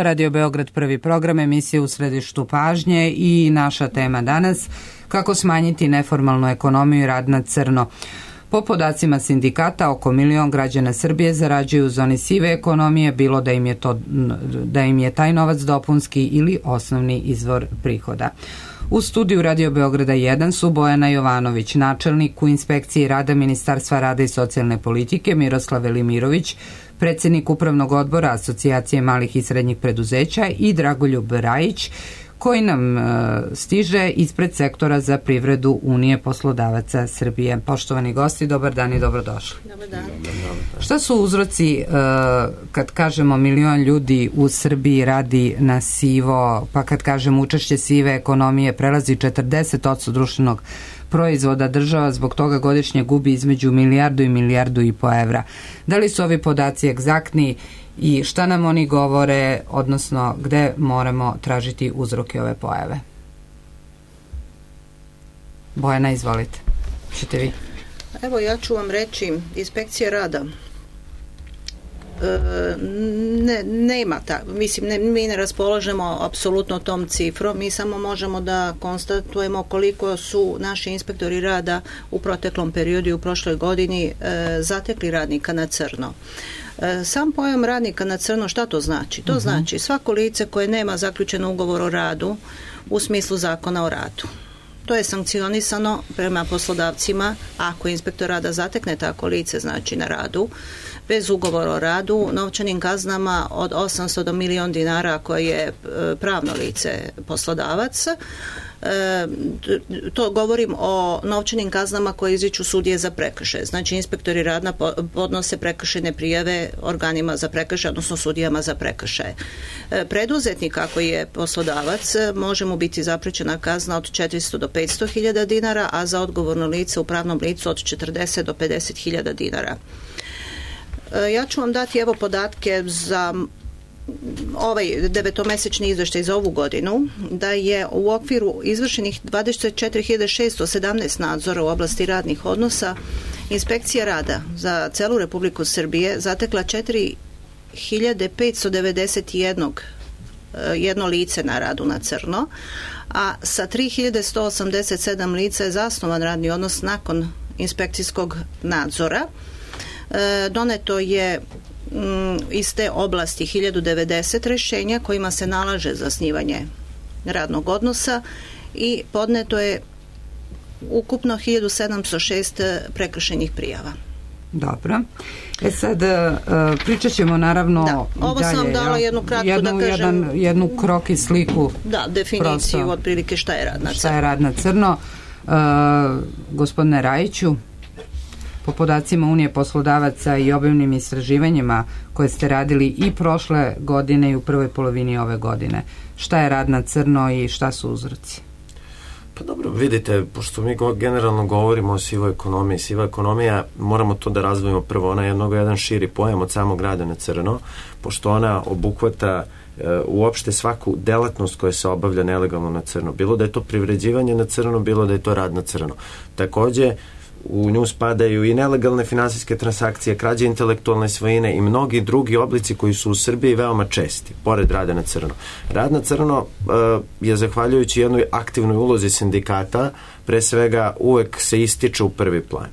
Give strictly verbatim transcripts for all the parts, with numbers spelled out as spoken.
Radio Beograd, prvi program, emisije u središtu pažnje i naša tema danas, kako smanjiti neformalnu ekonomiju i rad na crno. Po podacima sindikata, oko milion građana Srbije zarađuju u zoni sive ekonomije, bilo da im je, to, da im je taj novac dopunski ili osnovni izvor prihoda. U studiju Radio Beograda jedan su Bojana Jovanović, načelnik u inspekciji rada Ministarstva rada i socijalne politike, Miroslav Velimirović, predsednik Upravnog odbora Asocijacije malih i srednjih preduzeća i Dragoljub Rajić, koji nam e, stiže ispred sektora za privredu Unije poslodavaca Srbije. Poštovani gosti, dobar dan i dobrodošli. Dobar dan. Šta su uzroci e, kad kažemo milion ljudi u Srbiji radi na sivo, pa kad kažemo učešće sive ekonomije prelazi četrdeset posto društvenog proizvoda, država zbog toga godišnje gubi između milijardu i milijardu i po evra. Da li su ovi podaci egzaktni i šta nam oni govore, odnosno gde moramo tražiti uzroke ove pojave? Bojana, izvolite. Čete vi? Evo, ja ću vam reći, inspekcija rada e, ne, nema ta, mislim, ne, mi ne raspolažemo apsolutno tom cifrom, mi samo možemo da konstatujemo koliko su naši inspektori rada u proteklom periodu i u prošloj godini e, zatekli radnika na crno. Sam pojam radnika na crno, šta to znači? To uh-huh. znači svako lice koje nema zaključen ugovor o radu u smislu zakona o radu. To je sankcionisano prema poslodavcima ako inspektor rada zatekne tako lice, znači na radu, bez ugovora o radu, novčanim kaznama od osamsto do milion dinara koje je pravno lice poslodavac. E, to govorim o novčanim kaznama koje izriču sudije za prekršaje. Znači, inspektori rada podnose prekršajne prijave organima za prekršaje, odnosno sudijama za prekršaje. E, preduzetnik, ako je poslodavac, može mu biti zaprećena kazna od četiristo do petsto hiljada dinara, a za odgovorno lice u pravnom licu od četrdeset do pedeset hiljada dinara. E, ja ću vam dati evo podatke za ovaj devetomesečni izveštaj za ovu godinu, da je u okviru izvršenih dvadeset četiri hiljade šesto sedamnaest nadzora u oblasti radnih odnosa inspekcija rada za celu Republiku Srbije zatekla četiri hiljade petsto devedeset jedan jedno lice na radu na crno, a sa tri hiljade sto osamdeset sedam lica je zasnovan radni odnos nakon inspekcijskog nadzora. E, doneto je iz te oblasti hiljadu devedeset rešenja kojima se nalaže zasnivanje radnog odnosa i podneto je ukupno hiljadu sedamsto šest prekršajnih prijava. Dobro. E sad, pričat ćemo naravno da, ovo sam vam dala jednu kratku jednu, da kažem jedan, jednu krok i sliku, da, definiciju prosto, otprilike šta je rad na crno. Šta je rad na crno. Uh, gospodine Rajiću, po podacima Unije poslodavaca i obimnim istraživanjima koje ste radili i prošle godine i u prvoj polovini ove godine, šta je rad na crno i šta su uzroci? Pa dobro, vidite, pošto mi go, generalno govorimo o sivoj ekonomiji, siva ekonomija, moramo to da razdvojimo prvo, ona je mnogo jedan širi pojam od samog rada na crno, pošto ona obuhvata e, uopšte svaku delatnost koja se obavlja nelegalno na crno, bilo da je to privređivanje na crno, bilo da je to rad na crno. Takođe, u nju spadaju i nelegalne finansijske transakcije, krađe intelektualne svojine i mnogi drugi oblici koji su u Srbiji veoma česti, pored rada na crno. Rad na crno uh, je zahvaljujući jednoj aktivnoj ulozi sindikata, pre svega uvek se ističe u prvi plan.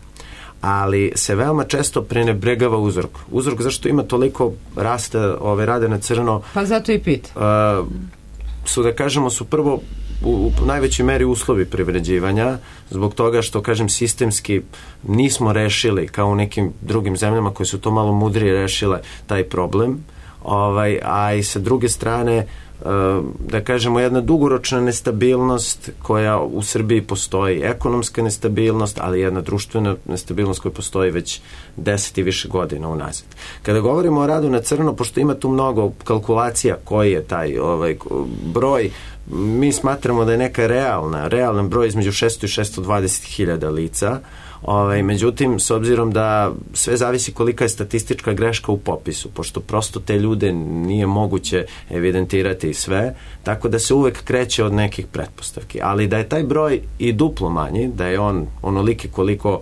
Ali se veoma često prenebregava uzrok. Uzrok zašto ima toliko rasta ove rade na crno. Pa zato i pit. Uh, su da kažemo su prvo u, u najvećoj meri uslovi privređivanja, zbog toga što, kažem, sistemski nismo rešili, kao u nekim drugim zemljama koje su to malo mudrije rešile, taj problem, ovaj, a i sa druge strane, da kažemo, jedna dugoročna nestabilnost koja u Srbiji postoji, ekonomska nestabilnost, ali jedna društvena nestabilnost koja postoji već deset i više godina unazad. Kada govorimo o radu na crno, pošto ima tu mnogo kalkulacija koji je taj ovaj, broj, mi smatramo da je neka realna, realan broj između šesto i šesto dvadeset hiljada lica. Ovaj, međutim, s obzirom da sve zavisi kolika je statistička greška u popisu, pošto prosto te ljude nije moguće evidentirati sve, tako da se uvek kreće od nekih pretpostavki. Ali da je taj broj i duplo manji, da je on onoliki koliko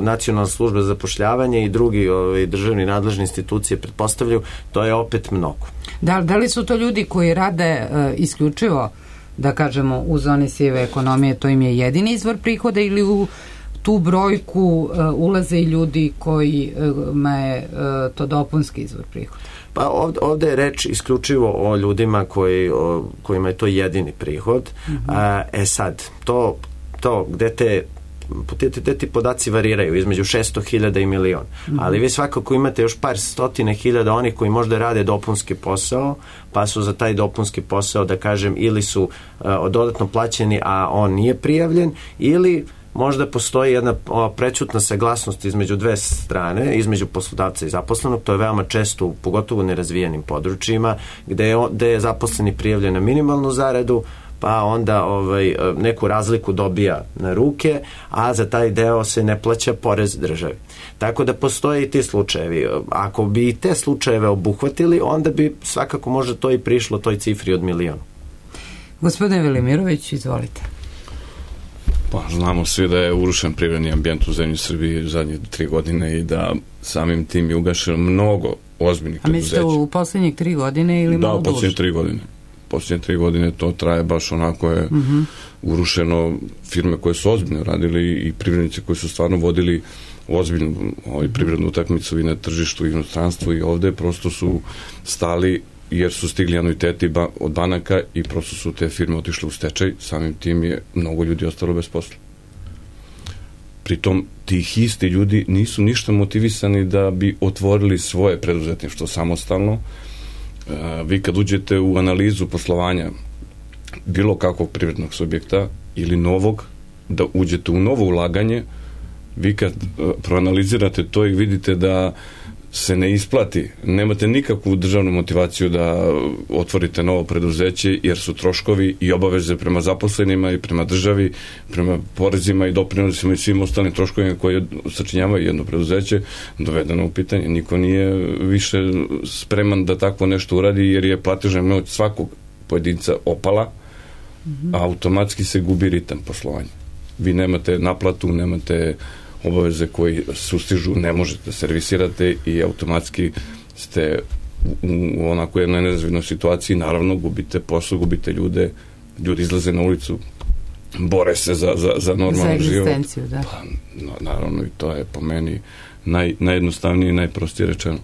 Nacionalna služba za zapošljavanje i drugi ovaj, državni nadležni institucije pretpostavljaju, to je opet mnogo. Da, da li su to ljudi koji rade uh, isključivo, da kažemo, u zoni sive ekonomije, to im je jedini izvor prihoda, ili u tu brojku uh, ulaze i ljudi kojima je uh, to dopunski izvor prihoda? Pa ovde, ovde je reč isključivo o ljudima koji, o, kojima je to jedini prihod. Mm-hmm. A, e sad, to, to gde te Te, te, te podaci variraju između šesto hiljada i milion. Mm-hmm. Ali vi svakako imate još par stotine hiljada onih koji možda rade dopunski posao, pa su za taj dopunski posao, da kažem, ili su uh, dodatno plaćeni, a on nije prijavljen, ili možda postoji jedna ova prećutna saglasnost između dve strane, između poslodavca i zaposlenog. To je veoma često, pogotovo u nerazvijenim područjima, gde je, gde je zaposleni prijavljen na minimalnu zaradu, pa onda ovaj, neku razliku dobija na ruke, a za taj deo se ne plaća porez državi. Tako da postoje i ti slučajevi. Ako bi i te slučajeve obuhvatili, onda bi svakako možda to i prišlo toj cifri od miliona. Gospodine Velimirović, izvolite. Pa, znamo svi da je urušen privredni ambijent u zemlji Srbiji zadnje tri godine i da samim tim je ugašeno mnogo ozbiljnih preduzeća. A mislite u posljednjih tri godine ili da, malo duže? Da, u posljednjih tri godine. Posljednje tri godine to traje baš onako je uh-huh. urušeno firme koje su ozbiljno radili i privrednici koji su stvarno vodili ozbiljnu ovaj, privrednu utakmicu i na tržištu i inostranstvu i ovde prosto su stali jer su stigli anuiteti ba- od banaka i prosto su te firme otišle u stečaj, samim tim je mnogo ljudi ostalo bez posla. Pritom tih isti ljudi nisu ništa motivisani da bi otvorili svoje preduzetništvo samostalno. Vi kad uđete u analizu poslovanja bilo kakvog privrednog subjekta ili novog, da uđete u novo ulaganje, vi kad proanalizirate to i vidite da se ne isplati, nemate nikakvu državnu motivaciju da otvorite novo preduzeće, jer su troškovi i obaveze prema zaposlenima i prema državi, prema porezima i doprinosima i svim ostalim troškovima koji sačinjavaju jedno preduzeće dovedeno u pitanje. Niko nije više spreman da takvo nešto uradi, jer je platežna moć svakog pojedinca opala, a automatski se gubi ritam poslovanja. Vi nemate naplatu, nemate obaveze koji sustižu, ne možete servisirate i automatski ste u onako jednoj nerazvidnoj situaciji, naravno gubite posao, gubite ljude, ljudi izlaze na ulicu, bore se za, za, za normalno život. Za egzistenciju, da. Pa, no, naravno, i to je po meni naj, najjednostavnije i najprostije rečeno.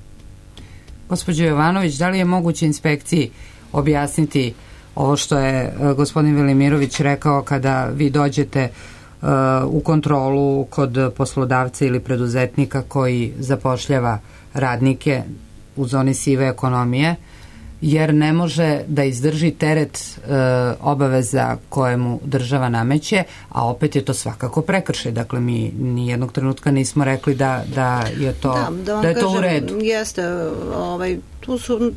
Gospođo Jovanović, da li je moguće inspekciji objasniti ovo što je gospodin Velimirović rekao kada vi dođete u kontrolu kod poslodavca ili preduzetnika koji zapošljava radnike u zoni sive ekonomije, jer ne može da izdrži teret e, obaveza kojemu država nameće, a opet je to svakako prekršaj. Dakle, mi nijednog trenutka nismo rekli da, da je to, da, da, da je to kažem, u redu. Jeste, ovaj, tu su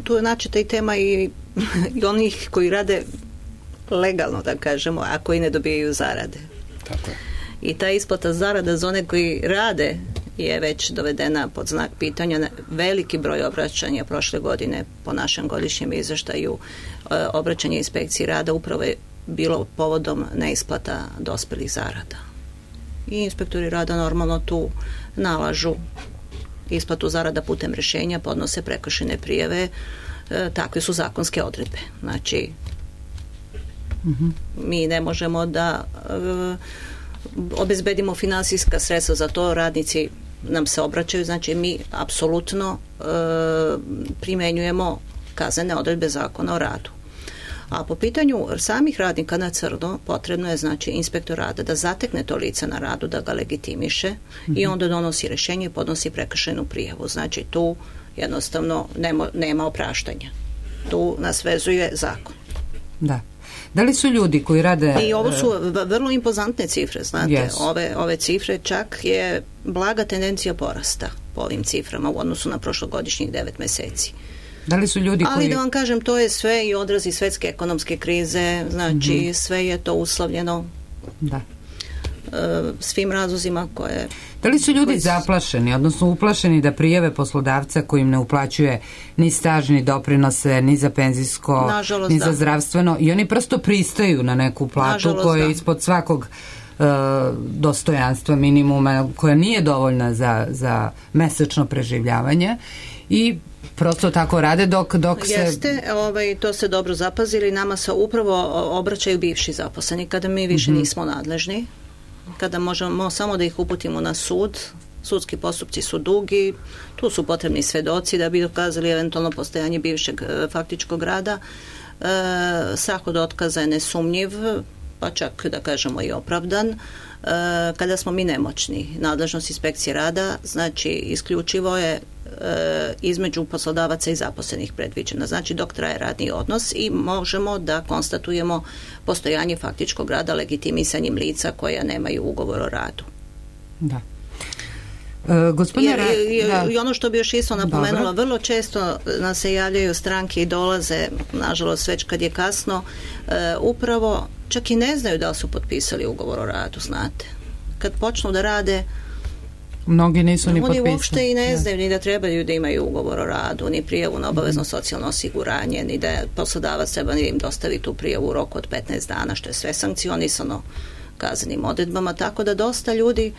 tu je načeta i tema i, i onih koji rade legalno, da kažemo, a koji ne dobijaju zarade. Tako je. I ta isplata zarada za one koji rade je već dovedena pod znak pitanja. Veliki broj obraćanja prošle godine po našem godišnjem izveštaju, obraćanje inspekciji rada upravo je bilo povodom neisplata dospelih zarada. I inspektori rada normalno tu nalažu isplatu zarada putem rješenja, podnose prekršajne prijave, takve su zakonske odredbe. Znači, mm-hmm. mi ne možemo da obezbedimo finansijska sredstva za to, radnici nam se obraćaju, znači mi apsolutno e, primenjujemo kaznene odredbe zakona o radu. A po pitanju samih radnika na crno potrebno je znači inspektor rada da zatekne to lice na radu, da ga legitimiše mm-hmm. i onda donosi rješenje i podnosi prekršajnu prijavu. Znači tu jednostavno nema, nema opraštanja. Tu nas vezuje zakon. Da. Da li su ljudi koji rade... I ovo su vrlo impozantne cifre, znate. Yes. Ove, ove cifre čak je blaga tendencija porasta po ovim ciframa u odnosu na prošlogodišnjih devet meseci. Da li su ljudi koji... Ali da vam kažem, to je sve i odrazi svetske ekonomske krize, znači mm-hmm. sve je to uslovljeno da. svim razlozima koje... Da li su ljudi zaplašeni, odnosno uplašeni da prijave poslodavca koji im ne uplaćuje ni staž, ni doprinose, ni za penzijsko, nažalost, ni za da. zdravstveno, i oni prosto pristaju na neku platu koja je ispod svakog dostojanstva minimuma koja nije dovoljna za, za mesečno preživljavanje i prosto tako rade dok, dok se... Jeste, ovaj, to ste dobro zapazili, nama se upravo obraćaju bivši zaposleni kada mi više mm-hmm. nismo nadležni, kada možemo samo da ih uputimo na sud. Sudski postupci su dugi, tu su potrebni svedoci da bi dokazali eventualno postojanje bivšeg e, faktičkog rada. E, strah od otkaza je nesumnjiv, pa čak da kažemo i opravdan. E, kada smo mi nemoćni, nadležnost inspekcije rada, znači isključivo je e, između poslodavaca i zaposlenih predviđena. Znači dok traje radni odnos i možemo da konstatujemo postojanje faktičkog rada legitimisanjem lica koja nemaju ugovor o radu. Da. Uh, gospodine, I, i, da. I ono što bi još isto napomenula, Dobro. vrlo često nas se javljaju stranke i dolaze, nažalost već kad je kasno, uh, upravo čak i ne znaju da li su potpisali ugovor o radu, znate. Kad počnu da rade, mnogi nisu ni potpisali. Oni uopšte i ne znaju ni da trebaju da imaju ugovor o radu, ni prijavu na obavezno socijalno osiguranje, ni da poslodavac treba da im dostavi tu prijavu u roku od petnaest dana, što je sve sankcionisano kaznenim odredbama, tako da dosta ljudi,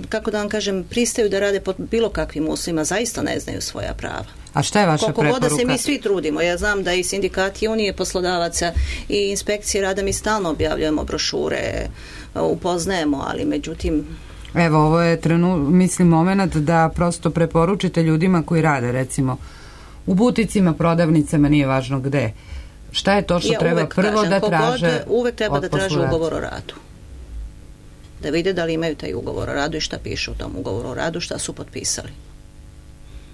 kako da vam kažem, pristaju da rade pod bilo kakvim uslovima, zaista ne znaju svoja prava. A šta je vaša Koliko preporuka? Koliko god da se mi svi trudimo, ja znam da i sindikati Unije poslodavaca i inspekcije rada mi stalno objavljujemo brošure, upoznajemo, ali međutim... Evo, ovo je trenu, mislim, moment da prosto preporučite ljudima koji rade, recimo, u buticima, prodavnicama, nije važno gde. Šta je to što ja treba prvo kažem, da traže? Uvek treba da traže ugovor o radu. Da vide da li imaju taj ugovor o radu i šta piše u tom ugovoru o radu, šta su potpisali.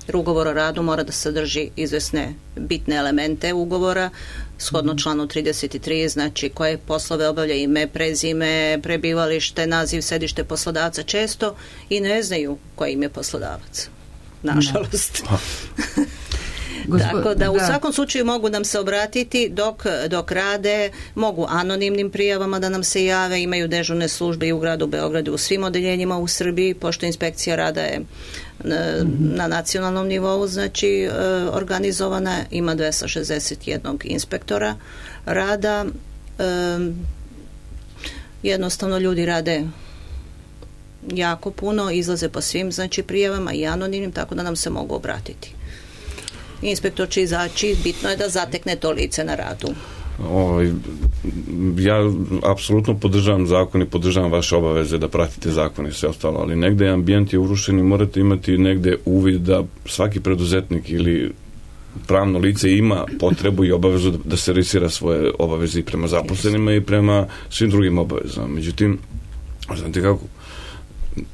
Jer ugovor o radu mora da sadrži izvesne bitne elemente ugovora, shodno članu trideset tri, znači koje poslove obavlja, ime, prezime, prebivalište, naziv, sedište poslodavca, često i ne znaju koji im je poslodavac. Nažalost. Tako da u svakom slučaju mogu nam se obratiti dok, dok rade, mogu anonimnim prijavama da nam se jave, imaju dežurne službe i u gradu Beogradu, u svim odeljenjima u Srbiji, pošto inspekcija rada je na, na nacionalnom nivou, znači organizovana, ima dvesta šezdeset jedan inspektora rada. Jednostavno ljudi rade jako puno, izlaze po svim znači prijavama i anonimnim, tako da nam se mogu obratiti. Inspektor će izaći, bitno je da zatekne to lice na radu. O, ja apsolutno podržavam zakon i podržavam vaše obaveze da pratite zakon i sve ostalo, ali negde ambijent je urušen i morate imati negde uvid da svaki preduzetnik ili pravno lice ima potrebu i obavezu da servisira svoje obaveze i prema zaposlenima i prema svim drugim obavezama. Međutim, znate kako,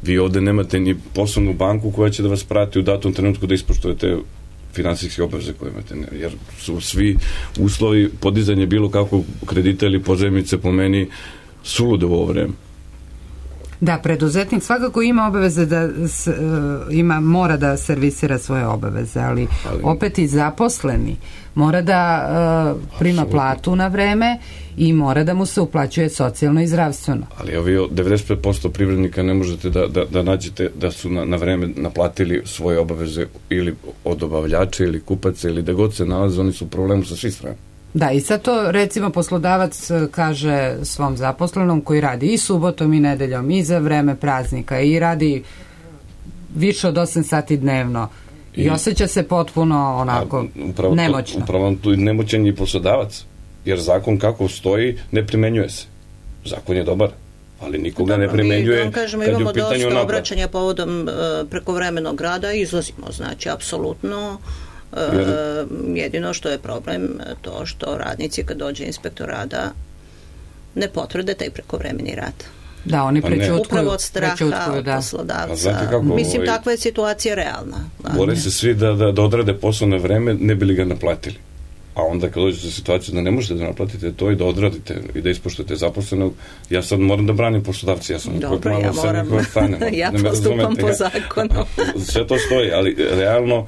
vi ovde nemate ni poslovnu banku koja će da vas prati u datom trenutku da ispoštujete finansijske obaveze koje imate, jer su svi uslovi podizanje bilo kakvog kredita ili pozajmice po meni sulude u ovo vreme. Da, preduzetnik svakako ima obaveze da s, uh, ima, mora da servisira svoje obaveze, ali, ali opet i zaposleni mora da uh, prima absolutno platu na vreme i mora da mu se uplaćuje socijalno i zdravstveno. Ali ovi devedeset pet posto privrednika ne možete da, da, da nađete da su na, na vreme naplatili svoje obaveze ili od dobavljača ili kupaca ili da god se nalaze, oni su u problemu sa svih strana. Da, i sad to recimo poslodavac kaže svom zaposlenom koji radi i subotom i nedeljom i za vreme praznika i radi više od osam sati dnevno i, i osjeća se potpuno onako upravo nemoćno. To, upravo tu nemoćan je poslodavac, jer zakon kako stoji ne primenjuje se. Zakon je dobar, ali nikoga Dobro, ne primenjuje. Mi, da kažemo, imamo dosta obraćanja povodom uh, prekovremenog rada i izlazimo, znači, apsolutno. Jer, jedino što je problem to što radnici kad dođe inspektor rada ne potvrde taj prekovremeni rad. Da, oni prećutkuju. Upravo od straha od da. poslodavca. Kako, Mislim, ovaj, takva je situacija realna. Bore se svi da, da, da odrade poslovno vreme, ne bi li ga naplatili. A onda kad dođete u situaciju da ne možete da naplatite to i da odradite i da ispoštujete zaposlenog, ja sad moram da branim poslodavci, ja sam Dobro, ja moram, ja postupam po zakonu. Sve to stoji, ali realno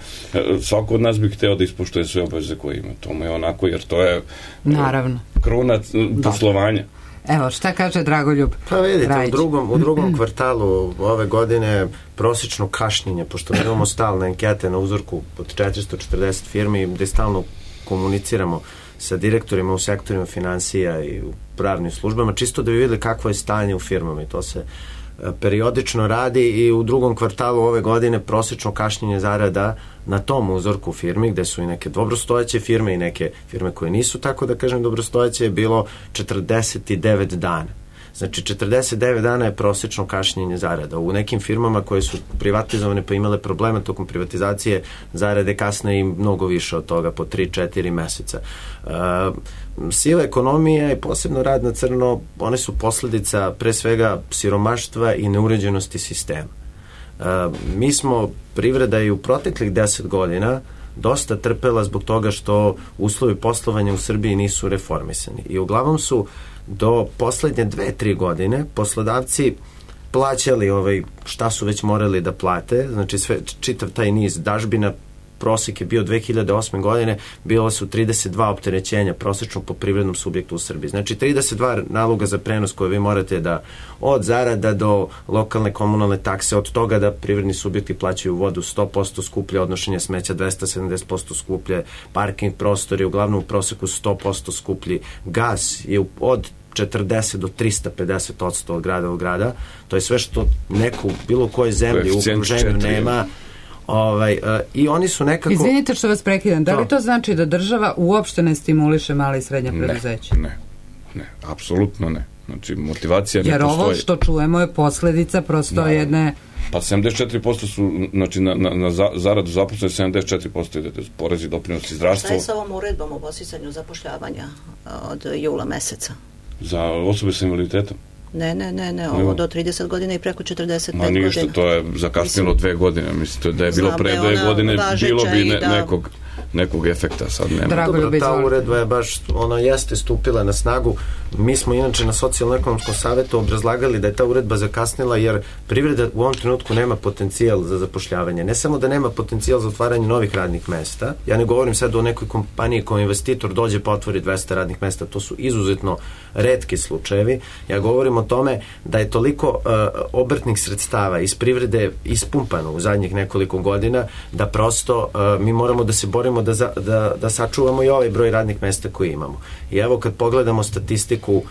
svako od nas bi hteo da ispoštuje sve obaveze koje ima. To mu je onako, jer to je naravno kruna poslovanja. Evo, šta kaže Dragoljub? Pa vidite, Rajić. u drugom, u drugom kvartalu ove godine prosječno kašnjenje, pošto imamo stalne ankete na uzorku od četiristo četrdeset firmi, gde stalno komuniciramo sa direktorima u sektorima finansija i u pravnim službama, čisto da bi vidjeli kakvo je stanje u firmama i to se periodično radi i u drugom kvartalu ove godine prosečno kašnjenje zarada na tom uzorku firmi, gde su i neke dobrostojeće firme i neke firme koje nisu tako da kažem dobrostojeće, je bilo četrdeset devet dana. Znači, četrdeset devet dana je prosečno kašnjenje zarada. U nekim firmama koje su privatizovane pa imale problema tokom privatizacije, zarade kasne i mnogo više od toga, po tri četiri meseca. Uh, siva ekonomija i posebno rad na crno, one su posledica pre svega siromaštva i neuređenosti sistema. Uh, mi smo, privreda i u proteklih deset godina dosta trpela zbog toga što uslovi poslovanja u Srbiji nisu reformisani. I uglavnom su do poslednje dve, tri godine poslodavci plaćali ovaj, šta su već morali da plate, znači sve, čitav taj niz dažbina, prosek je bio dve hiljade osme godine, bilo su trideset dva opterećenja prosečno po privrednom subjektu u Srbiji. Znači trideset dva naloga za prenos koje vi morate da od zarada do lokalne komunalne takse, od toga da privredni subjekti plaćaju vodu sto posto skuplje, odnošenje smeća dvesta sedamdeset posto skuplje, parking prostori uglavnom u proseku sto posto skuplji, gas je od četrdeset do trista pedeset odsto od grada u grada, to je sve što neku bilo koje zemlji u okruženju nema. Ovaj, uh, i oni su nekako... Izvinite što vas prekidam, da li to znači da država uopšte ne stimuliše male i srednje preduzeće? Ne, ne, ne, apsolutno ne. Znači, motivacija ne jer postoji. Jer ovo što čujemo je posledica prosto da, jedne... Pa sedamdeset četiri posto su, znači, na, na, na zaradu zaposlene, sedamdeset četiri posto ide porezi, doprinosi, zdravstvo. Šta je sa ovom uredbom o podsticanju zapošljavanja od jula meseca? Za osobe sa invaliditetom? Ne, ne, ne, ne, ovo do trideset godina i preko četrdeset pet godina. Ma ništa, to je zakasnilo dve godine, mislite da je bilo pre dve godine, bilo bi ne, da... nekog, nekog efekta, sad nema. Dobro, ta uredba je baš, ona jeste stupila na snagu, mi smo inače na socijalno-ekonomskom savetu obrazlagali da je ta uredba zakasnila jer privreda u ovom trenutku nema potencijal za zapošljavanje. Ne samo da nema potencijal za otvaranje novih radnih mesta, ja ne govorim sad o nekoj kompaniji kao investitor dođe pa otvori dvesta radnih mesta, to su izuzetno retki slučajevi. Ja govorim o tome da je toliko uh, obrtnih sredstava iz privrede ispumpano u zadnjih nekoliko godina da prosto uh, mi moramo da se borimo da, za, da, da sačuvamo i ovaj broj radnih mesta koji imamo. I evo kad pogledamo statistiku uh,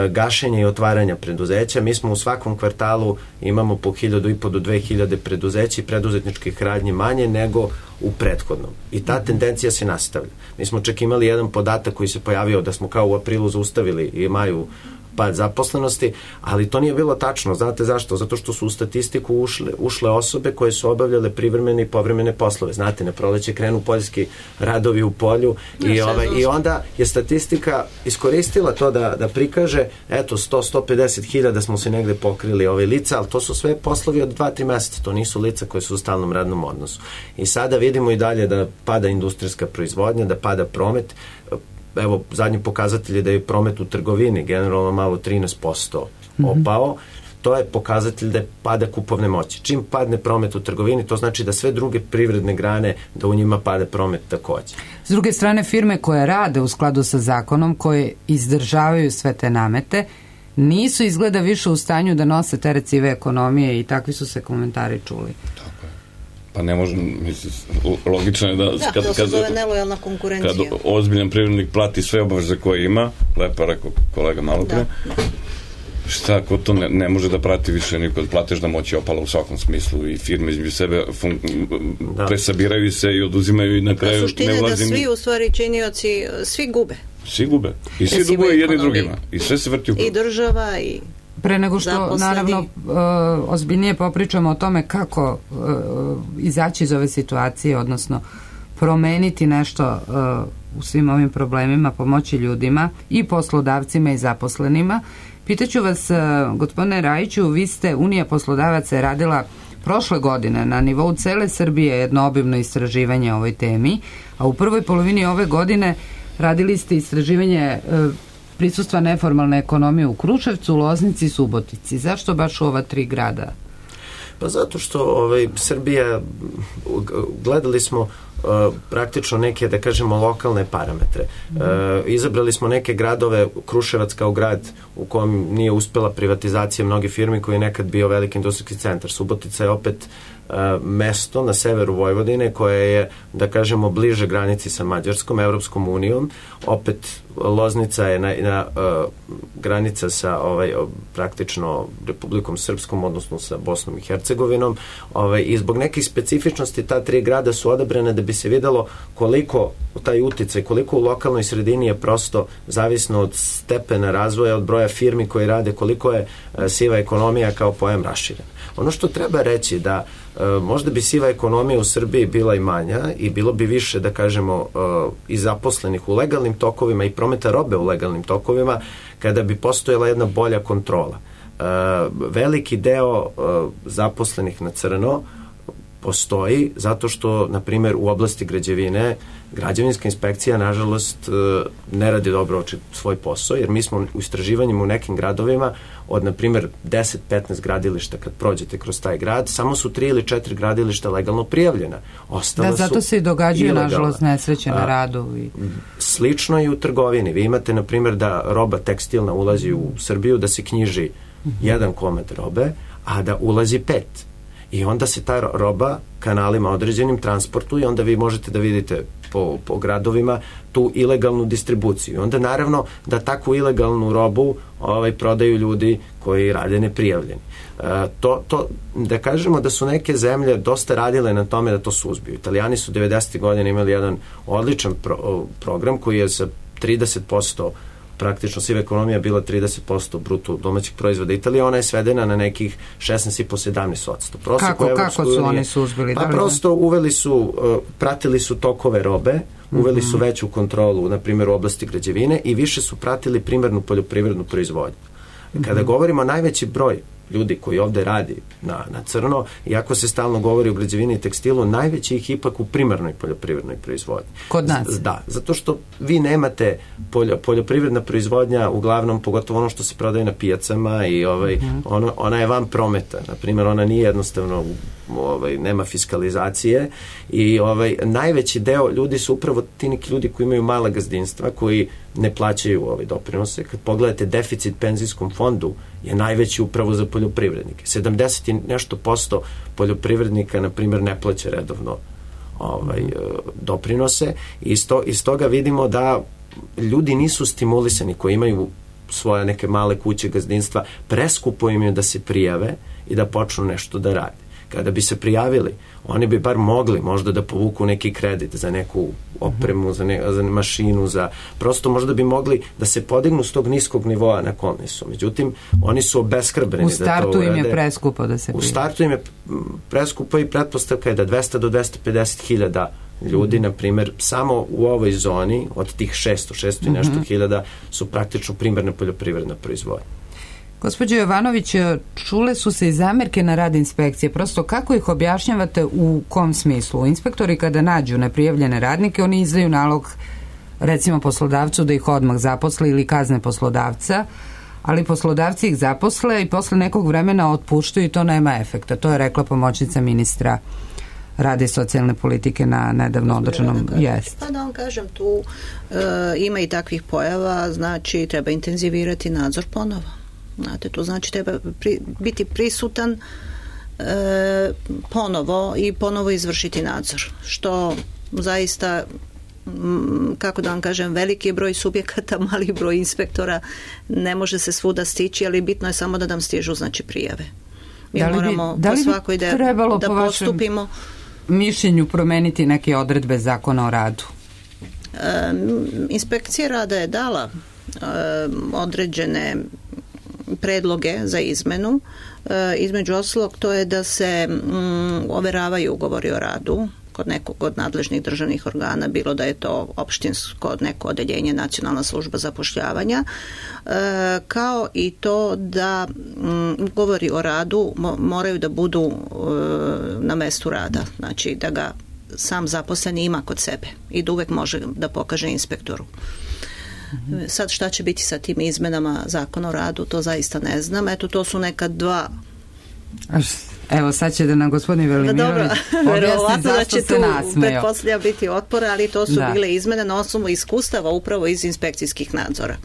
gašenja i otvaranja preduzeća, mi smo u svakom kvartalu imamo po hiljadu i po do dve hiljade preduzeća i preduzetničkih radnji manje nego u prethodnom. I ta tendencija se nastavlja. Mi smo čak imali jedan podatak koji se pojavio da smo kao u aprilu zaustavili i maju pad zaposlenosti, ali to nije bilo tačno. Znate zašto? Zato što su u statistiku ušle, ušle osobe koje su obavljale privremene i povremene poslove. Znate, na proleće krenu poljski radovi u polju i, ovaj, i onda je statistika iskoristila to da, da prikaže, eto, sto do sto pedeset hiljada smo se negde pokrili ove lica, ali to su sve poslovi od dva do tri meseca. To nisu lica koje su u stalnom radnom odnosu. I sada vidimo i dalje da pada industrijska proizvodnja, da pada promet. Evo, zadnji pokazatelj je da je promet u trgovini generalno malo trinaest posto opao. To je pokazatelj da je pada kupovne moći. Čim padne promet u trgovini, to znači da sve druge privredne grane, da u njima pada promet takođe. S druge strane, firme koje rade u skladu sa zakonom, koje izdržavaju sve te namete, nisu izgleda više u stanju da nose teret sive ekonomije i takvi su se komentari čuli. Tako je. Pa ne može, mislim, logično je da... Da, kad, to se zove nelojalna konkurencija. Kad ozbiljan privrednik plati sve obaveze koje ima, lepo rekao kolega malo pre, da, da. Šta, ko to ne, ne može da prati više niko, plateš da moći opala u svakom smislu i firme između sebe fun, da. presabiraju se i oduzimaju i na kraju ne ulazim... Suština je da svi u stvari činioci, svi gube. Svi gube. I svi duguju jedni drugima. I sve se vrti u krug. I država i... Pre nego što, zaposleni. naravno, uh, ozbiljnije popričamo o tome kako uh, izaći iz ove situacije, odnosno promeniti nešto uh, u svim ovim problemima, pomoći ljudima i poslodavcima i zaposlenima. Pitaću vas, uh, gospodine Rajiću, vi ste, Unija poslodavaca je radila prošle godine na nivou cele Srbije jedno obimno istraživanje o ovoj temi, a u prvoj polovini ove godine radili ste istraživanje uh, prisustva neformalne ekonomije u Kruševcu, Loznici i Subotici. Zašto baš u ova tri grada? Pa zato što ovaj, Srbija, gledali smo uh, praktično neke, da kažemo, lokalne parametre. Uh, izabrali smo neke gradove, Kruševac kao grad u kojem nije uspela privatizacija mnoge firmi koji je nekad bio veliki industrijski centar. Subotica je opet mesto na severu Vojvodine koje je, da kažemo, bliže granici sa Mađarskom, Evropskom unijom. Opet Loznica je na, na uh, granica sa ovaj, praktično Republikom Srpskom, odnosno sa Bosnom i Hercegovinom. Ovaj, I zbog nekih specifičnosti ta tri grada su odabrane da bi se videlo koliko taj uticaj, koliko u lokalnoj sredini je prosto zavisno od stepena razvoja, od broja firmi koji rade, koliko je uh, siva ekonomija kao pojam raširen. Ono što treba reći da uh, možda bi siva ekonomija u Srbiji bila i manja i bilo bi više, da kažemo, uh, i zaposlenih u legalnim tokovima i prometa robe u legalnim tokovima kada bi postojala jedna bolja kontrola. Uh, veliki deo uh, zaposlenih na crno postoji zato što, na primjer, u oblasti građevine građevinska inspekcija, nažalost, ne radi dobro svoj posao, jer mi smo u istraživanjima u nekim gradovima od, na primjer, deset do petnaest gradilišta, kad prođete kroz taj grad, samo su tri ili četiri gradilišta legalno prijavljena. Ostala da, zato se i događaju, ilegalna. Nažalost, nesreće na radu. I... Slično i u trgovini. Vi imate, na primjer, da roba tekstilna ulazi u Srbiju, da se knjiži mm-hmm. jedan komad robe, a da ulazi pet. I onda se ta roba kanalima određenim transportuje i onda vi možete da vidite po, po gradovima tu ilegalnu distribuciju. I onda naravno da takvu ilegalnu robu ovaj, prodaju ljudi koji rade neprijavljeni. E, to, to, da kažemo da su neke zemlje dosta radile na tome da to suzbiju. Italijani su devedesetih godina imali jedan odličan pro, program koji je sa trideset posto praktično siva ekonomija bila trideset posto bruto domaćeg proizvoda Italije, ona je svedena na nekih šesnaest i po sedamnaest posto. Kako, kako su oni suzbili? Pa prosto uveli su, uh, pratili su tokove robe, uveli mm-hmm. su veću kontrolu, na primjer, u oblasti građevine i više su pratili primarnu poljoprivrednu proizvodnju. Kada mm-hmm. govorimo o najveći broj ljudi koji ovde radi na, na crno, iako se stalno govori o građevini i tekstilu, najveći ih ipak u primarnoj poljoprivrednoj proizvodnji. Kod nas? Z, da, zato što vi nemate poljo, poljoprivredna proizvodnja, uglavnom, pogotovo ono što se prodaje na pijacama i ovaj, mm. ono, ona je van prometa. Na primjer, ona nije jednostavno, ovaj, nema fiskalizacije i ovaj, najveći deo ljudi su upravo ti neki ljudi koji imaju mala gazdinstva, koji ne plaćaju ovaj doprinose. Kad pogledate deficit penzijskom fondu je najveći upravo za poljoprivrednike. sedamdeset i nešto posto poljoprivrednika, na primjer, ne plaća redovno ovaj, doprinose i iz, to, iz toga vidimo da ljudi nisu stimulisani koji imaju svoje neke male kuće, gazdinstva, preskupo im je da se prijave i da počnu nešto da rade. Kada bi se prijavili, oni bi bar mogli možda da povuku neki kredit za neku opremu, za, ne, za mašinu, za prosto možda bi mogli da se podignu s tog niskog nivoa na kom su. Međutim, oni su obeshrabljeni da to urade. U startu im je preskupo da se prijave. U startu im je preskupo i pretpostavka je da dvesta do dvesta pedeset hiljada ljudi, mm-hmm. na primjer, samo u ovoj zoni od tih šesto, šesto i nešto mm-hmm. hiljada su praktično primarna poljoprivredna proizvodnja. Gospođo Jovanović, čule su se i zamerke na rad inspekcije. Prosto kako ih objašnjavate, u kom smislu? Inspektori kada nađu neprijavljene radnike, oni izdaju nalog recimo poslodavcu da ih odmah zaposle ili kazne poslodavca, ali poslodavci ih zaposle i posle nekog vremena otpuštaju i to nema efekta. To je rekla pomoćnica ministra rada i socijalne politike na nedavno održanom jest. Pa da vam kažem, tu e, ima i takvih pojava, znači treba intenzivirati nadzor ponovo. Znate, to znači treba pri, biti prisutan e, ponovo i ponovo izvršiti nadzor, što zaista, m, kako da vam kažem, veliki je broj subjekata, mali broj inspektora, ne može se svuda stići, ali bitno je samo da nam stižu, znači, prijave. Mi da li moramo bi, da li po svakoj da, da po postupimo. Mišljenju promeniti neke odredbe zakona o radu? E, inspekcija rada je dala e, određene predloge za izmenu. E, između ostalog, to je da se mm, overavaju ugovori o radu kod nekog od nadležnih državnih organa, bilo da je to opštinsko neko odeljenje, nacionalna služba zapošljavanja, e, kao i to da mm, ugovori o radu mo, moraju da budu e, na mestu rada, znači da ga sam zaposleni ima kod sebe i da uvek može da pokaže inspektoru. Sad šta će biti sa tim izmenama zakona o radu, to zaista ne znam. Eto, to su neka dva... Evo, sad će da nam gospodin Velimirović objasni zašto se nasmejo. Pretpostavlja biti otpora, ali to su da. bile izmene na osnovu iskustava upravo iz inspekcijskih nadzora.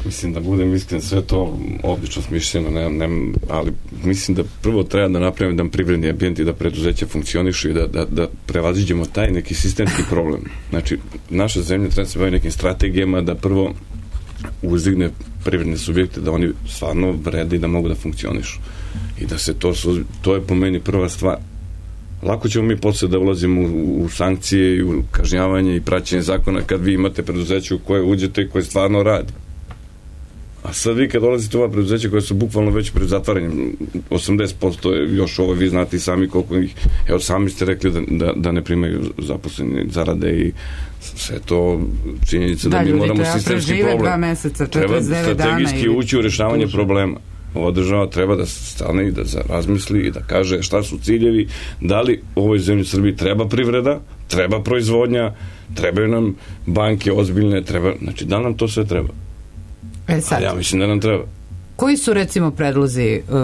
Mislim da budem iskren, sve to obično smišljeno, ne, ne, ali mislim da prvo treba da napravimo jedan privredni ambijent i da preduzeća funkcionišu i da, da, da prevaziđemo taj neki sistemski problem. Znači, naša zemlja treba se bavi nekim strategijama da prvo uzdigne privredne subjekte, da oni stvarno vrede i da mogu da funkcionišu. I da se to, to je po meni prva stvar. Lako ćemo mi posle da ulazimo u, u sankcije i u kažnjavanje i praćenje zakona kad vi imate preduzeće u koje uđete i koje stvarno radi. A sad vi kad dolazite u ova preduzeća koja su bukvalno već pred zatvaranjem, osamdeset posto je još ovo, vi znate i sami koliko ih, evo sami ste rekli da, da, da ne primaju zaposleni zarade i sve to činjenica da, da mi moramo sistemski problem. Meseca, treba strategijski ući u rešavanje duže. Problema. Ova država treba da stane i da razmisli i da kaže šta su ciljevi, da li u ovoj zemlji Srbiji treba privreda, treba proizvodnja, trebaju nam banke ozbiljne, treba, znači da nam to sve treba. E sad, a ja mislim da nam treba. Koji su recimo predlozi, uh,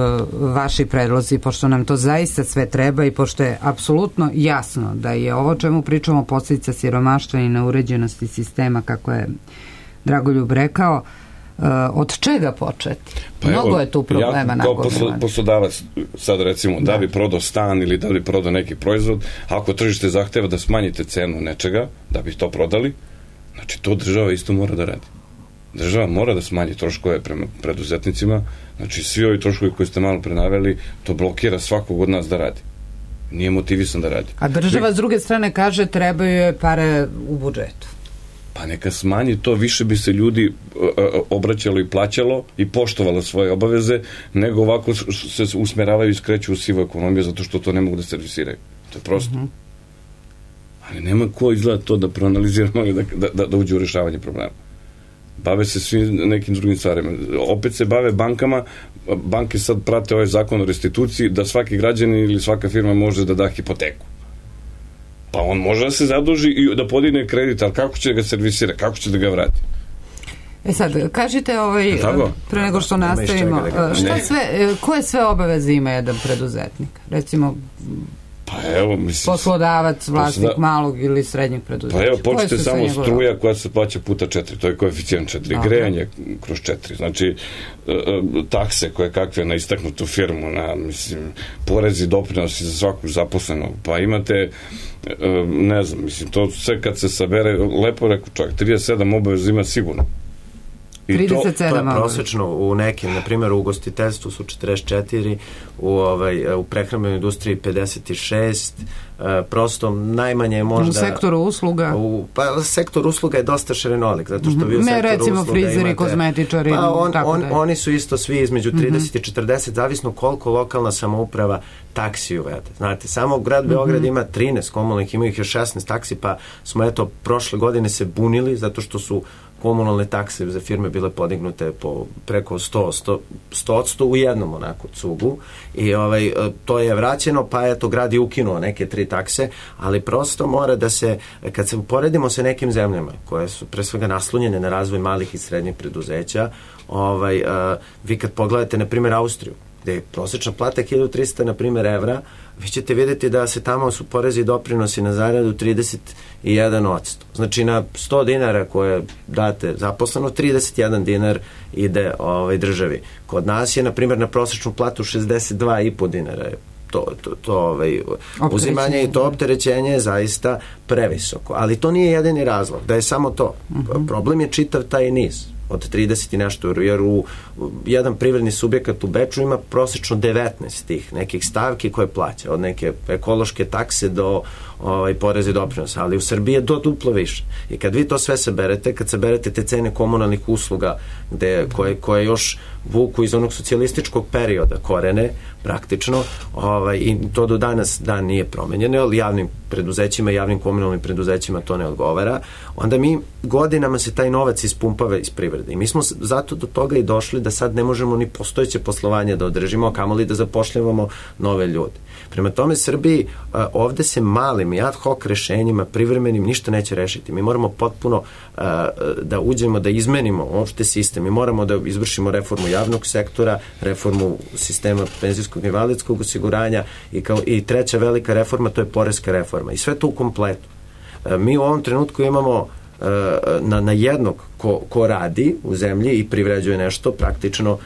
vaši predlozi, pošto nam to zaista sve treba i pošto je apsolutno jasno da je ovo čemu pričamo posljedica siromaštva i neuređenosti sistema, kako je Dragoljub rekao, uh, od čega početi? Pa mnogo evo, je tu problema. Ja kao poslo, poslodavac sad recimo da. da bi prodao stan ili da bi prodao neki proizvod, ako tržište zahteva da smanjite cenu nečega da bi to prodali, znači to država isto mora da radi. Država mora da smanji troškove prema preduzetnicima, znači svi ovi troškovi koji ste malo prenaveli, to blokira svakog od nas da radi. Nije motivisan da radi. A država s druge strane kaže trebaju je pare u budžetu. Pa neka smanji to, više bi se ljudi obraćalo i plaćalo i poštovalo svoje obaveze, nego ovako se usmeravaju i skreću u sivu ekonomiju zato što to ne mogu da servisiraju. To je prosto. Uh-huh. Ali nema ko izgleda to da proanaliziramo i da, da, da uđe u rešavanje problema. Bave se svim nekim drugim stvarima. Opet se bave bankama, banke sad prate ovaj zakon o restituciji, da svaki građanin ili svaka firma može da da hipoteku. Pa on može da se zaduži i da podigne kredit, ali kako će da ga servisira, kako će da ga vrati? E sad, kažite ovaj, pre nego što nastavimo, šta sve, koje sve obaveze ima jedan preduzetnik? Recimo, pa evo, mislim, poslodavac, vlasnik posloda... malog ili srednjeg preduzeća. Pa evo, počete samo struja koja se plaća puta četiri, to je koeficijent četiri, okay. Grejanje kroz četiri, znači takse koje kakve na istaknutu firmu, na, mislim, porezi, doprinosi za svakog zaposlenog, pa imate, ne znam, mislim, to sve kad se sabere, lepo rekao čovjek, trideset sedam obaveza ima sigurno. I trideset sedam to, to je prosečno u nekim, na primjer u ugostiteljstvu su četrdeset četiri, u, ovaj, u prehrambenoj industriji pedeset šest, e, prosto najmanje je možda... U sektoru usluga? U, pa sektor usluga je dosta širenolik, zato što vi u ne, sektoru recimo usluga frizeri, imate... kozmetičari, pa on, tako on, da je. Oni su isto svi između trideset i četrdeset, zavisno koliko lokalna samouprava taksi uvede. Znate, samo grad Beograd mm-hmm. ima trinaest komunalnih, ima ih još šesnaest taksi, pa smo eto prošle godine se bunili zato što su komunalne takse za firme bile podignute po preko sto, sto, sto odsto u jednom onako cugu i ovaj, to je vraćeno, pa eto grad je ukinuo neke tri takse, ali prosto mora da se, kad se uporedimo sa nekim zemljama koje su pre svega naslonjene na razvoj malih i srednjih preduzeća, ovaj, uh, vi kad pogledate na primjer Austriju, gde je prosječna plata hiljadu trista na primjer evra, vi ćete vidjeti da se tamo su porezi i doprinosi na zaradu trideset jedan odsto. Znači na sto dinara koje date zaposleno, trideset jedan dinar ide ovaj, državi. Kod nas je, na primjer, na prosječnu platu šezdeset dva i po dinara je to, to, to ovaj, uzimanje i to opterećenje je zaista previsoko. Ali to nije jedini razlog, da je samo to. Uh-huh. Problem je čitav taj niz od trideset i nešto, jer u jedan privredni subjekat u Beču ima prosječno devetnaest tih nekih stavki koje plaća, od neke ekološke takse do ovaj, poreze i doprinosa, ali u Srbiji je do duplo više. I kad vi to sve saberete, kad saberete te cene komunalnih usluga gde, koje, koje još vuku iz onog socijalističkog perioda korene, praktično, ovaj, i to do danas dan nije promenjeno, ali javnim preduzećima, javnim komunalnim preduzećima to ne odgovara, onda mi godinama se taj novac ispumpava iz privrede. I mi smo zato do toga i došli da sad ne možemo ni postojeće poslovanje da održimo, a kamoli da zapošljavamo nove ljude. Prema tome, Srbiji ovde se malim i ad hoc rešenjima, privremenim, ništa neće rešiti. Mi moramo potpuno da uđemo, da izmenimo uopšte sistem. Mi moramo da izvršimo reformu javnog sektora, reformu sistema penzijskog i invalidskog osiguranja i, kao, i treća velika reforma, to je poreska reforma. I sve to u kompletu. Mi u ovom trenutku imamo na, na jednog ko, ko radi u zemlji i privređuje nešto, praktično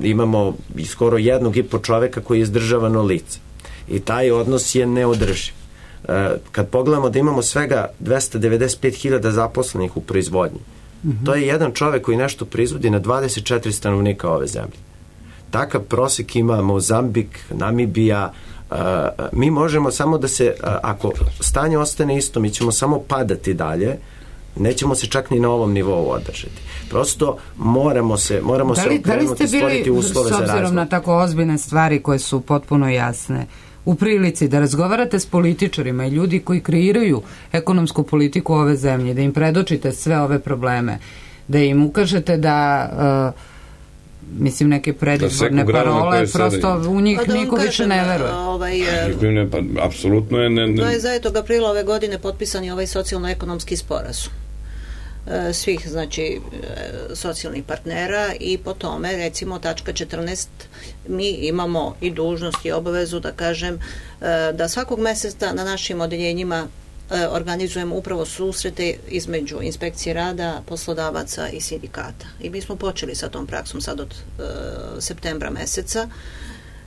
imamo skoro jednog i po čoveka koji je izdržavano lice. I taj odnos je neodrživ. Kad pogledamo da imamo svega dvesta devedeset pet hiljada zaposlenih u proizvodnji, mm-hmm. to je jedan čovek koji nešto proizvodi na dvadeset četiri stanovnika ove zemlje. Takav prosek ima Mozambik, Namibija. Mi možemo samo da se, ako stanje ostane isto, mi ćemo samo padati dalje, nećemo se čak ni na ovom nivou održati. Prosto moramo se, moramo da li, se okrenuti, stvoriti uslove za razvoj. S obzirom na tako ozbiljne stvari koje su potpuno jasne, u prilici da razgovarate s političarima i ljudi koji kreiraju ekonomsku politiku ove zemlje, da im predočite sve ove probleme, da im ukažete da uh, mislim neke predizborne parole, prosto u njih da niko više ne veruje. Ovaj, ne, pa, apsolutno je... Ne, ne. dvadesetog aprila ove godine potpisan je ovaj socijalno-ekonomski sporazum svih, znači, socijalnih partnera i po tome, recimo, tačka četrnaest, mi imamo i dužnost i obavezu da kažem da svakog meseca na našim odeljenjima organizujemo upravo susrete između inspekcije rada, poslodavaca i sindikata. I mi smo počeli sa tom praksom sad od e, septembra meseca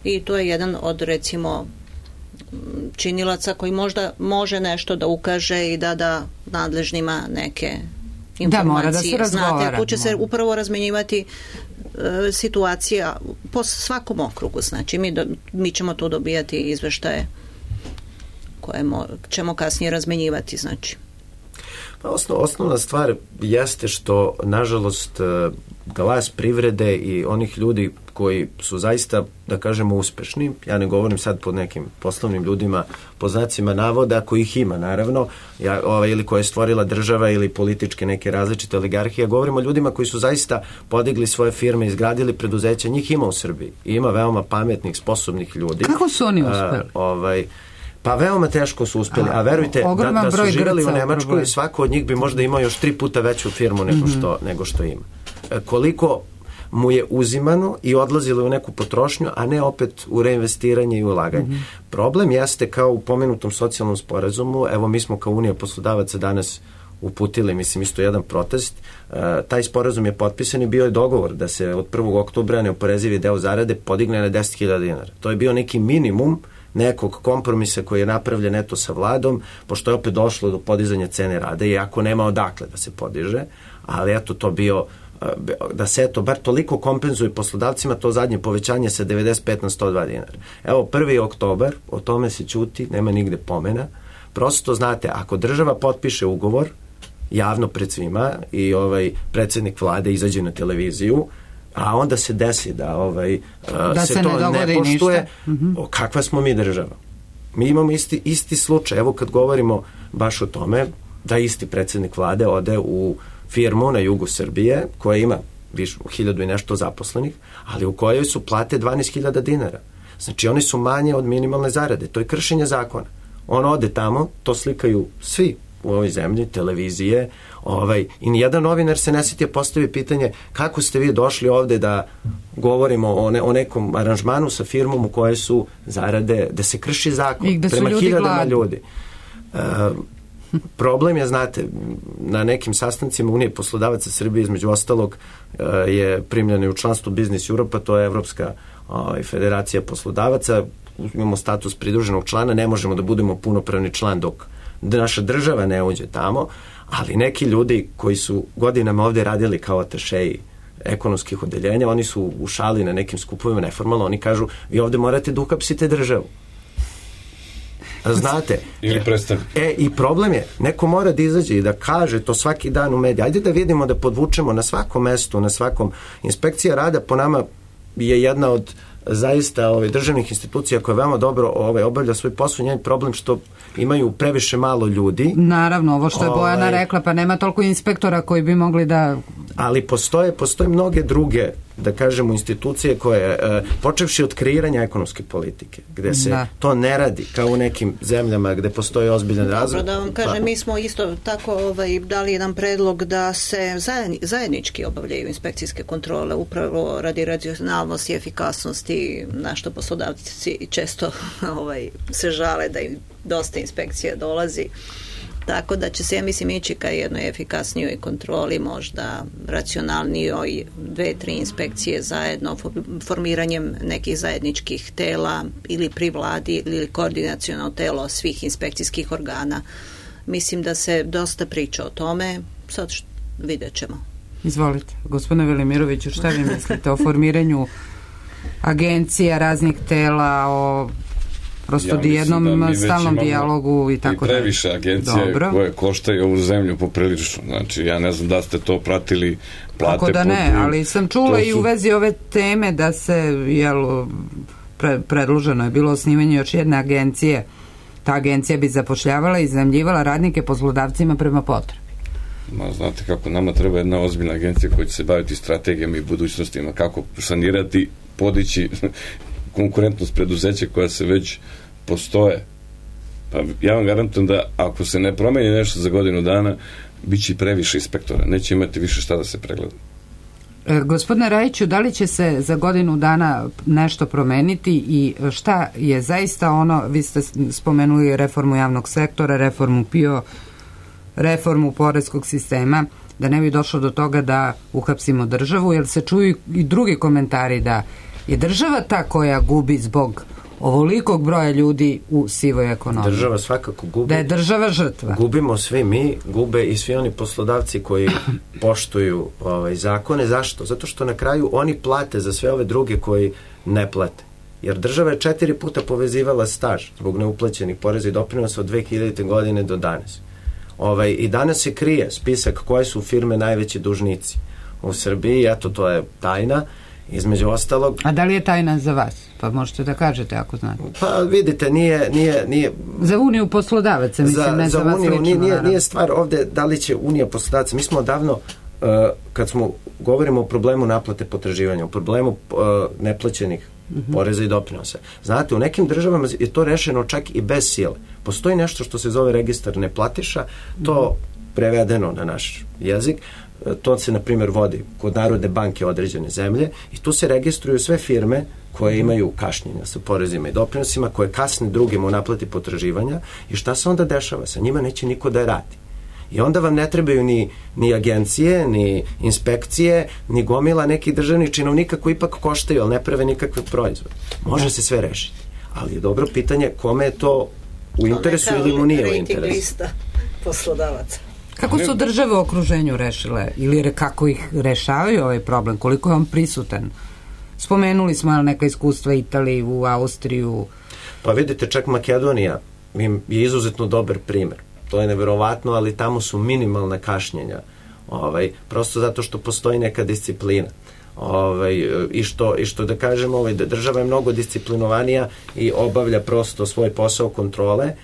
i to je jedan od, recimo, činilaca koji možda može nešto da ukaže i da da nadležnima neke informacije. Da, mora da se razgovara. Znate, tu će se upravo razmenjivati e, situacija po svakom okrugu. Znači, mi, do, mi ćemo tu dobijati izveštaje koje mo, ćemo kasnije razmenjivati, znači. Pa osnov, osnovna stvar jeste što, nažalost, glas privrede i onih ljudi koji su zaista, da kažemo, uspešni, ja ne govorim sad pod nekim poslovnim ljudima, po znacima navoda, kojih ima, naravno, ja, ova, ili koje je stvorila država ili političke neke različite oligarhije, govorimo o ljudima koji su zaista podigli svoje firme, izgradili preduzeća, njih ima u Srbiji. I ima veoma pametnih, sposobnih ljudi. Kako su oni uspeli? A, ovaj, Pa veoma teško su uspeli, a verujte da, da su živjeli u Nemačkoj, svako od njih bi možda imao još tri puta veću firmu nego što, nego što ima. E, koliko mu je uzimano i odlazilo u neku potrošnju, a ne opet u reinvestiranje i ulaganje. Mm-hmm. Problem jeste, kao u pomenutom socijalnom sporazumu, evo mi smo kao Unija poslodavaca danas uputili, mislim, isto jedan protest. E, taj sporazum je potpisan i bio je dogovor da se od prvog oktobra neoporezivi deo zarade podigne na deset hiljada dinara. To je bio neki minimum nekog kompromisa koji je napravljen eto sa vladom, pošto je opet došlo do podizanja cene rada, iako nema odakle da se podiže, ali eto to bio, da se eto bar toliko kompenzuje poslodavcima to zadnje povećanje sa devedeset pet na sto dva dinara. Evo, prvi oktobar, o tome se ćuti, nema nigde pomena. Prosto, znate, ako država potpiše ugovor javno pred svima i ovaj predsjednik vlade izađe na televiziju, a onda se desi da, ovaj, da se, se to ne, ne poštuje, mm-hmm. o, kakva smo mi država? Mi imamo isti, isti slučaj. Evo kad govorimo baš o tome, da isti predsjednik vlade ode u firmu na jugu Srbije, koja ima više hiljadu i nešto zaposlenih, ali u kojoj su plate dvanaest hiljada dinara. Znači oni su manje od minimalne zarade. To je kršenje zakona. On ode tamo, to slikaju svi u ovoj zemlji, televizije, ovaj, i nijedan novinar se ne sjetio postavi pitanje kako ste vi došli ovde da govorimo o, ne, o nekom aranžmanu sa firmom u kojoj su zarade, da se krši zakon prema ljudi hiljadama gladni. ljudi. E, problem je, znate, na nekim sastancima Unije poslodavaca Srbije, između ostalog, e, je primljeno u članstvo Business Europa, to je Evropska ovaj, federacija poslodavaca, imamo status pridruženog člana, ne možemo da budemo punopravni član dok da naša država ne uđe tamo, ali neki ljudi koji su godinama ovde radili kao atašeji ekonomskih odeljenja, oni su u šali na nekim skupovima neformalno, oni kažu, vi ovde morate da uhapsite državu. Znate. Ili prestane. E, i problem je, neko mora da izađe i da kaže to svaki dan u mediji. Ajde da vidimo, da podvučemo na svakom mestu, na svakom. Inspekcija rada po nama je jedna od zaista ove, državnih institucija koja veoma dobro ove, obavlja svoj posao. Njen problem što imaju previše malo ljudi. Naravno, ovo što je Bojana ovaj, rekla, pa nema toliko inspektora koji bi mogli da... Ali postoje, postoje mnoge druge, da kažemo, institucije koje, e, počevši od kreiranja ekonomske politike, gde se da. to ne radi kao u nekim zemljama gde postoji ozbiljan razvoj. Dobro, da vam kažem, pa. mi smo isto tako ovaj, dali jedan predlog da se zajedni, zajednički obavljaju inspekcijske kontrole, upravo radi racionalnosti i efikasnosti, na što poslodavci često ovaj, se žale da im dosta inspekcija dolazi. Tako da će se, ja mislim, ići ka jednoj efikasnijoj kontroli, možda racionalnijoj, dve, tri inspekcije zajedno, formiranjem nekih zajedničkih tela ili pri vladi ili koordinaciono telo svih inspekcijskih organa. Mislim da se dosta priča o tome, sad što vidjet ćemo. Izvolite, gospodine Velimiroviću, šta vi mislite o formiranju agencija, raznih tela, o prosto ja jednom da stalnom dijalogu i tako dalje. I previše agencije Dobro. koje koštaju ovu zemlju poprilično. Znači, ja ne znam da ste to pratili, plate... Kako da ne, ali sam čula su... i u vezi ove teme da se, jel, pre, predloženo je bilo osnivanje još jedne agencije. Ta agencija bi zapošljavala i iznajmljivala radnike poslodavcima prema potrebi. Ma, znate kako, nama treba jedna ozbiljna agencija koja će se baviti strategijama i budućnostima, kako sanirati, podići konkurentnost preduzeća koja se već postoje. Pa ja vam garantujem da ako se ne promeni nešto za godinu dana, bit će i previše inspektora. Neće imati više šta da se pregleda. E, gospodine Rajiću, da li će se za godinu dana nešto promeniti i šta je zaista ono, vi ste spomenuli reformu javnog sektora, reformu P I O, reformu poreskog sistema, da ne bi došlo do toga da uhapsimo državu, jer se čuju i drugi komentari da je država ta koja gubi zbog ovolikog broja ljudi u sivoj ekonomiji. Država svakako gubi. Da je država žrtva. Gubimo svi mi, gube i svi oni poslodavci koji poštuju ovaj, zakone. Zašto? Zato što na kraju oni plate za sve ove druge koji ne plate. Jer država je četiri puta povezivala staž zbog neuplaćenih poreza i doprinosa od dve hiljadite godine do danas. Ovaj, I danas se krije spisak koje su firme najveći dužnici u Srbiji. Eto, to je tajna. Između ostalog... A da li je tajna za vas? Pa možete da kažete ako znate. Pa vidite, nije... nije, nije za Uniju poslodavaca, mislim, za, ne za, za vas Uniju, lično. Nije, nije stvar ovde da li će Unija poslodavaca. Mi smo odavno, uh, kad smo govorimo o problemu naplate potraživanja, o problemu uh, neplaćenih uh-huh. poreza i doprinosa. Znate, u nekim državama je to rešeno čak i bez sile. Postoji nešto što se zove registar neplatiša, to uh-huh. prevedeno na naš jezik, to se, na primjer, vodi kod Narodne banke određene zemlje i tu se registruju sve firme koje imaju kašnjenja sa porezima i doprinosima, koje kasne drugima u naplati potraživanja i šta se onda dešava? Sa njima neće niko da radi. I onda vam ne trebaju ni, ni agencije, ni inspekcije, ni gomila nekih državnih činovnika koji ipak koštaju, ali ne prave nikakve proizvode. Može se sve rešiti. Ali je dobro pitanje kome je to u interesu ili mu nije u interesu. Rating lista poslodavaca. Kako su države u okruženju rešile ili kako ih rešavaju ovaj problem? Koliko je on prisutan? Spomenuli smo neka iskustva Italiju, Austriju. Pa vidite, čak Makedonija je izuzetno dobar primer. To je neverovatno, ali tamo su minimalna kašnjenja. Ovaj, prosto zato što postoji neka disciplina. Ovaj, i, što, I što da kažem, ovaj, da država je mnogo disciplinovanija i obavlja prosto svoj posao kontrole,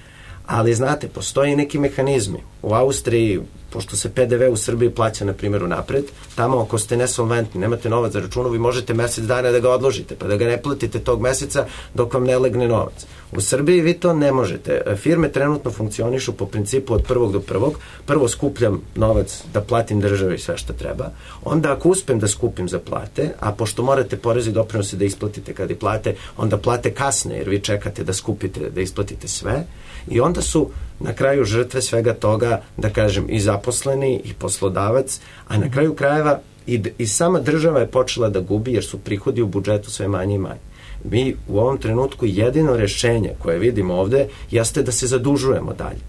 ali znate, postoji neki mehanizmi. U Austriji, pošto se P D V u Srbiji plaća, na primjer, unapred, tamo ako ste nesolventni, nemate novac za računu, vi možete mesec dana da ga odložite, pa da ga ne platite tog meseca dok vam ne legne novac. U Srbiji vi to ne možete. Firme trenutno funkcionišu po principu od prvog do prvog. Prvo skupljam novac da platim državi i sve što treba. Onda ako uspem da skupim za plate, a pošto morate porezi i doprinose da isplatite kad i plate, onda plate kasne jer vi čekate da skupite, da isplatite sve. I onda su na kraju žrtve svega toga, da kažem, i zaposleni i poslodavac, a na kraju krajeva i, i sama država je počela da gubi jer su prihodi u budžetu sve manje i manje. Mi u ovom trenutku jedino rešenje koje vidimo ovde jeste da se zadužujemo dalje.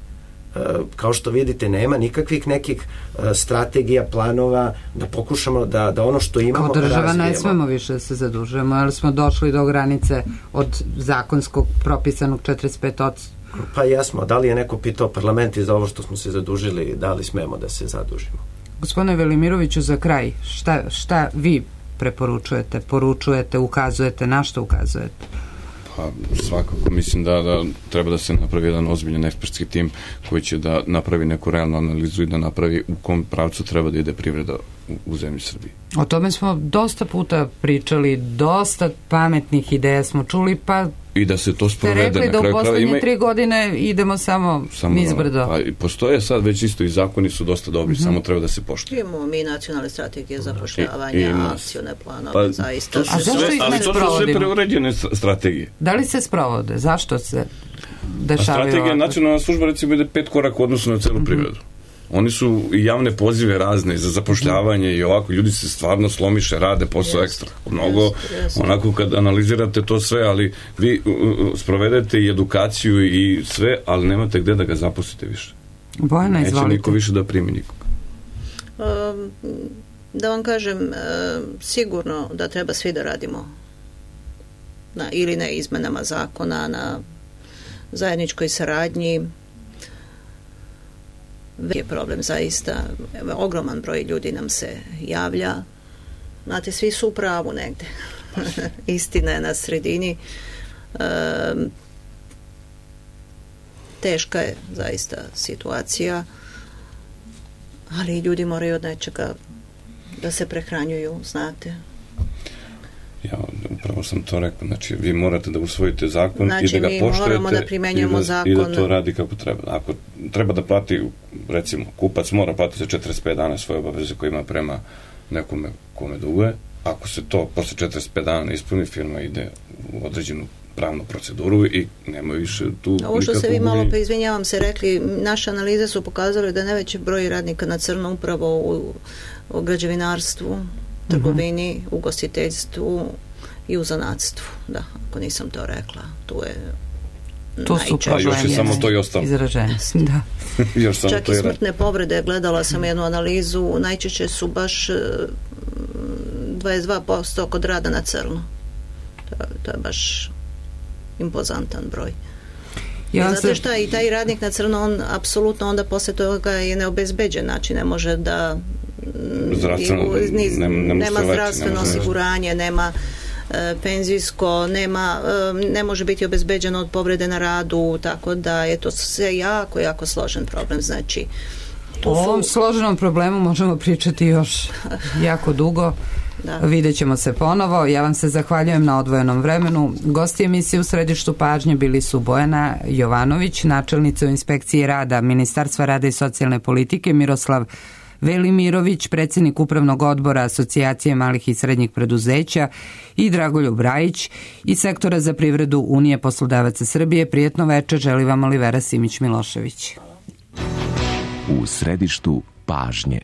E, kao što vidite, nema nikakvih nekih e, strategija, planova, da pokušamo da, da ono što imamo kao država razvijemo. Ne smemo više da se zadužujemo, ali smo došli do granice od zakonskog propisanog četrdeset pet posto. Pa jesmo, da li je neko pitao parlament i za ovo što smo se zadužili, da li smemo da se zadužimo? Gospodine Velimiroviću, za kraj, šta, šta vi preporučujete, poručujete, ukazujete, na što ukazujete? Pa svakako, mislim da, da treba da se napravi jedan ozbiljan ekspertski tim koji će da napravi neku realnu analizu i da napravi u kom pravcu treba da ide privreda u, u zemlji Srbiji. O tome smo dosta puta pričali, dosta pametnih ideja smo čuli, pa i da se to sprovede na kraju. Ste rekli da u poslednje ima... tri godine idemo samo, samo nizbrdo. Pa, postoje sad već isto i zakoni su dosta dobri, mm-hmm. samo treba da se poštuju. Imamo mi nacionalne strategije zapošljavanja, akcione planove, pa, zaista. To su sve, ali to su sve preuređene strategije. Da li se sprovode? Zašto se? dešavaju. A strategija ovako. nacionalna služba recimo ide pet koraka u odnosu na celu mm-hmm. privredu. Oni su i javne pozive razne za zapošljavanje mm-hmm. i ovako, ljudi se stvarno slomiše, rade posao yes. ekstra. Mnogo, yes, yes. onako kad analizirate to sve, ali vi uh, sprovedete i edukaciju i sve, ali nemate gde da ga zaposlite više. Bojana, neće izvolite. Niko više da primi nikoga. Um, da vam kažem, uh, sigurno da treba svi da radimo na, ili na izmenama zakona, na zajedničkoj saradnji. Je problem zaista. Ogroman broj ljudi nam se javlja. Znate, svi su u pravu negde. Istina je na sredini. Um, teška je zaista situacija, ali ljudi moraju od nečega da se prehranjuju, znate. Ja, upravo sam to rekao, znači vi morate da usvojite zakon znači, i da ga poštujete da primenjujemo i, zakon. i da to radi kako treba. Ako treba da plati, recimo, kupac mora platiti za četrdeset pet dana svoje obaveze koje ima prema nekome kome duguje, ako se to posle četrdeset pet dana ispuni, firma ide u određenu pravnu proceduru i nema više tu nikakvu... Ovo što ste vi malo, pa izvinjavam se, rekli, naše analize su pokazale da najveći broj radnika na crno upravo u, u građevinarstvu, trgovini, mm-hmm. ugostiteljstvu i u zanatstvu. Da, ako nisam to rekla, tu je to su problemi. Još je samo to i ostalo. Izražene, da. Još samo Čak to i smrtne povrede, gledala sam jednu analizu, najčešće su baš dvadeset dva posto kod rada na crno. To, to je baš impozantan broj. Ja I znate se... šta, i taj radnik na crno, on apsolutno onda posle toga je neobezbeđen, znači ne može da zdravstveno, niz, ne, ne nema leći, zdravstveno ne osiguranje, nema e, penzijsko, nema, e, ne može biti obezbeđeno od povrede na radu, tako da je to sve jako, jako složen problem. Znači, o ovom su... složenom problemu možemo pričati još jako dugo. Da. Vidjet ćemo se ponovo. Ja vam se zahvaljujem na odvojenom vremenu. Gosti emisije u središtu pažnje bili su Bojana Jovanović, načelnica u inspekciji rada Ministarstva rada i socijalne politike, Miroslav Velimirović, predsjednik upravnog odbora Asocijacije malih i srednjih preduzeća i Dragoljub Rajić iz sektora za privredu Unije poslodavaca Srbije. Prijetno večer želi vam Olivera Simić-Milošević. U središtu pažnje.